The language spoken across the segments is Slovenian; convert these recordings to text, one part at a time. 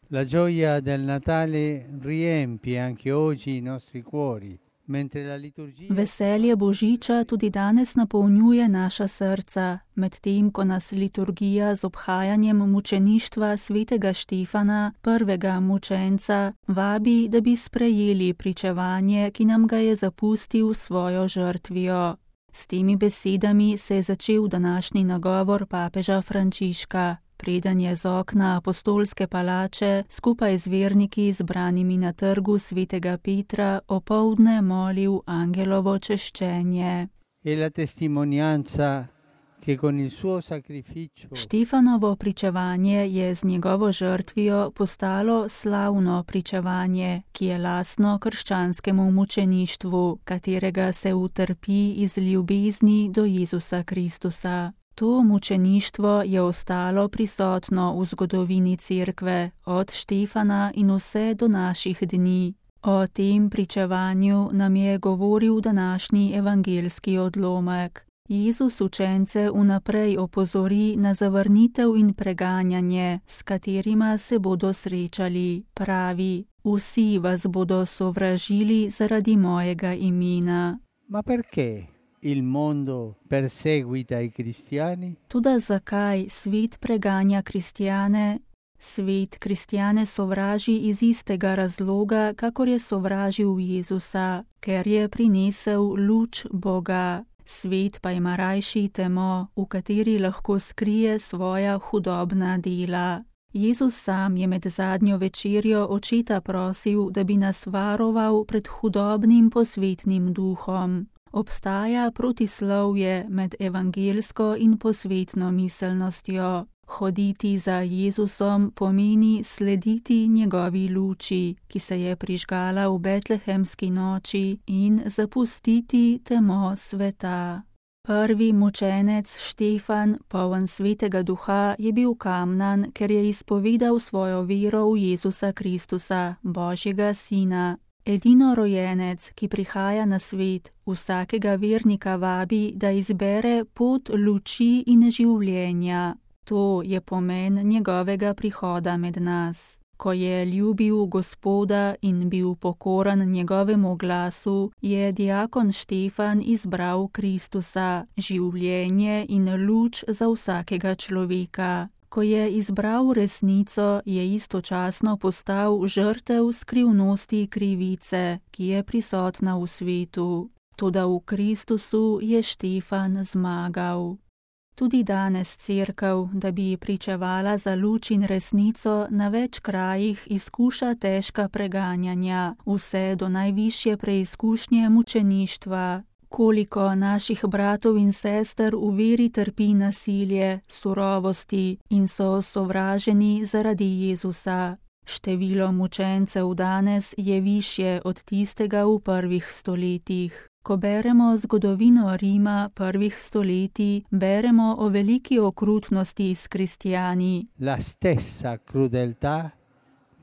La gioia del Natale riempie anche oggi i nostri cuori, mentre la liturgia... Veselje Božiča tudi danes napolnjuje naša srca, medtem ko nas liturgija z obhajanjem mučeništva svetega Štefana, prvega mučenca, vabi, da bi sprejeli pričevanje, ki nam ga je zapustil svojo žrtvijo. S temi besedami se je začel današnji nagovor papeža Frančiška, preden je z okna apostolske palače skupaj z verniki zbranimi na trgu svetega Petra opoldne molil angelovo češčenje. Štefanovo pričevanje je z njegovo žrtvijo postalo slavno pričevanje, ki je lastno krščanskemu mučeništvu, katerega se utrpi iz ljubezni do Jezusa Kristusa. To mučeništvo je ostalo prisotno v zgodovini Cerkve, od Štefana in vse do naših dni. O tem pričevanju nam je govoril današnji evangeljski odlomek. Jezus učence vnaprej opozori na zavrnitev in preganjanje, s katerima se bodo srečali. Pravi, vsi vas bodo sovražili zaradi mojega imena. Ma perché il mondo perseguita i cristiani? Toda zakaj svet preganja kristjane? Svet kristjane sovraži iz istega razloga, kakor je sovražil Jezusa, ker je prinesel luč Boga. Svet pa ima rajši temo, v kateri lahko skrije svoja hudobna dela. Jezus sam je med zadnjo večerjo očeta prosil, da bi nas varoval pred hudobnim posvetnim duhom. Obstaja protislovje med evangelsko in posvetno miselnostjo. Hoditi za Jezusom pomeni slediti njegovi luči, ki se je prižgala v betlehemski noči, in zapustiti temo sveta. Prvi mučenec Štefan, poln svetega duha, je bil kamnan, ker je izpovedal svojo vero v Jezusa Kristusa, Božjega sina. Edinorojenec, ki prihaja na svet, vsakega vernika vabi, da izbere pot luči in življenja. To je pomen njegovega prihoda med nas. Ko je ljubil Gospoda in bil pokoran njegovemu glasu, je diakon Štefan izbral Kristusa, življenje in luč za vsakega človeka. Ko je izbral resnico, je istočasno postal žrtev skrivnosti krivice, ki je prisotna v svetu. Toda v Kristusu je Štefan zmagal. Tudi danes Cerkev, da bi pričevala za luč in resnico, na več krajih izkuša težka preganjanja, vse do najvišje preizkušnje mučeništva. Koliko naših bratov in sester v veri trpi nasilje, surovosti in so sovraženi zaradi Jezusa. Število mučencev danes je višje od tistega v prvih stoletjih. Ko beremo zgodovino Rima prvih stoletij, beremo o veliki okrutnosti s kristjani. La stessa crudeltà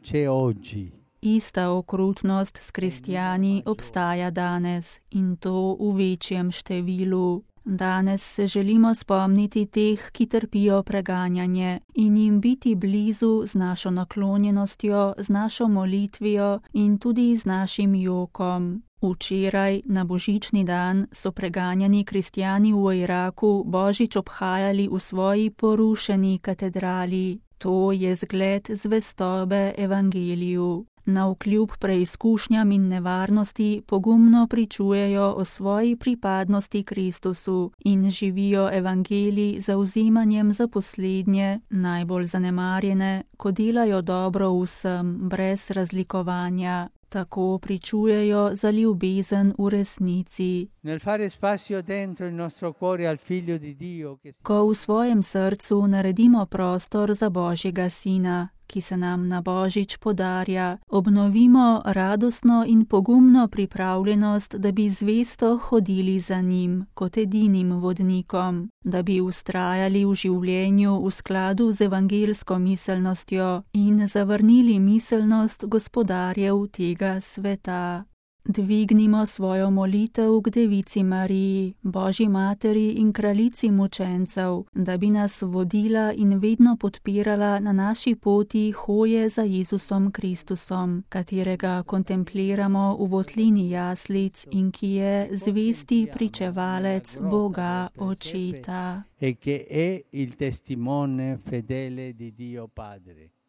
c'è oggi. Ista okrutnost s kristjani obstaja danes in to v večjem številu. Danes se želimo spomniti teh, ki trpijo preganjanje, in jim biti blizu z našo naklonjenostjo, z našo molitvijo in tudi z našim jokom. Včeraj, na božični dan, so preganjani kristjani v Iraku božič obhajali v svoji porušeni katedrali. To je zgled zvestobe evangeliju. Navkljub preizkušnjam in nevarnosti pogumno pričujejo o svoji pripadnosti Kristusu in živijo evangelij z zavzemanjem za poslednje, najbolj zanemarjene, ko delajo dobro vsem, brez razlikovanja. Tako pričujejo za ljubezen v resnici. Ko v svojem srcu naredimo prostor za Božjega sina, ki se nam na božič podarja, obnovimo radostno in pogumno pripravljenost, da bi zvesto hodili za njim kot edinim vodnikom, da bi vztrajali v življenju v skladu z evangelsko miselnostjo in zavrnili miselnost gospodarjev tega sveta. Dvignimo svojo molitev k Devici Mariji, Božji materi in kraljici mučencev, da bi nas vodila in vedno podpirala na naši poti hoje za Jezusom Kristusom, katerega kontempliramo v votlini jaslic in ki je zvesti pričevalec Boga Očeta. E che è il testimone fedele di Dio Padre.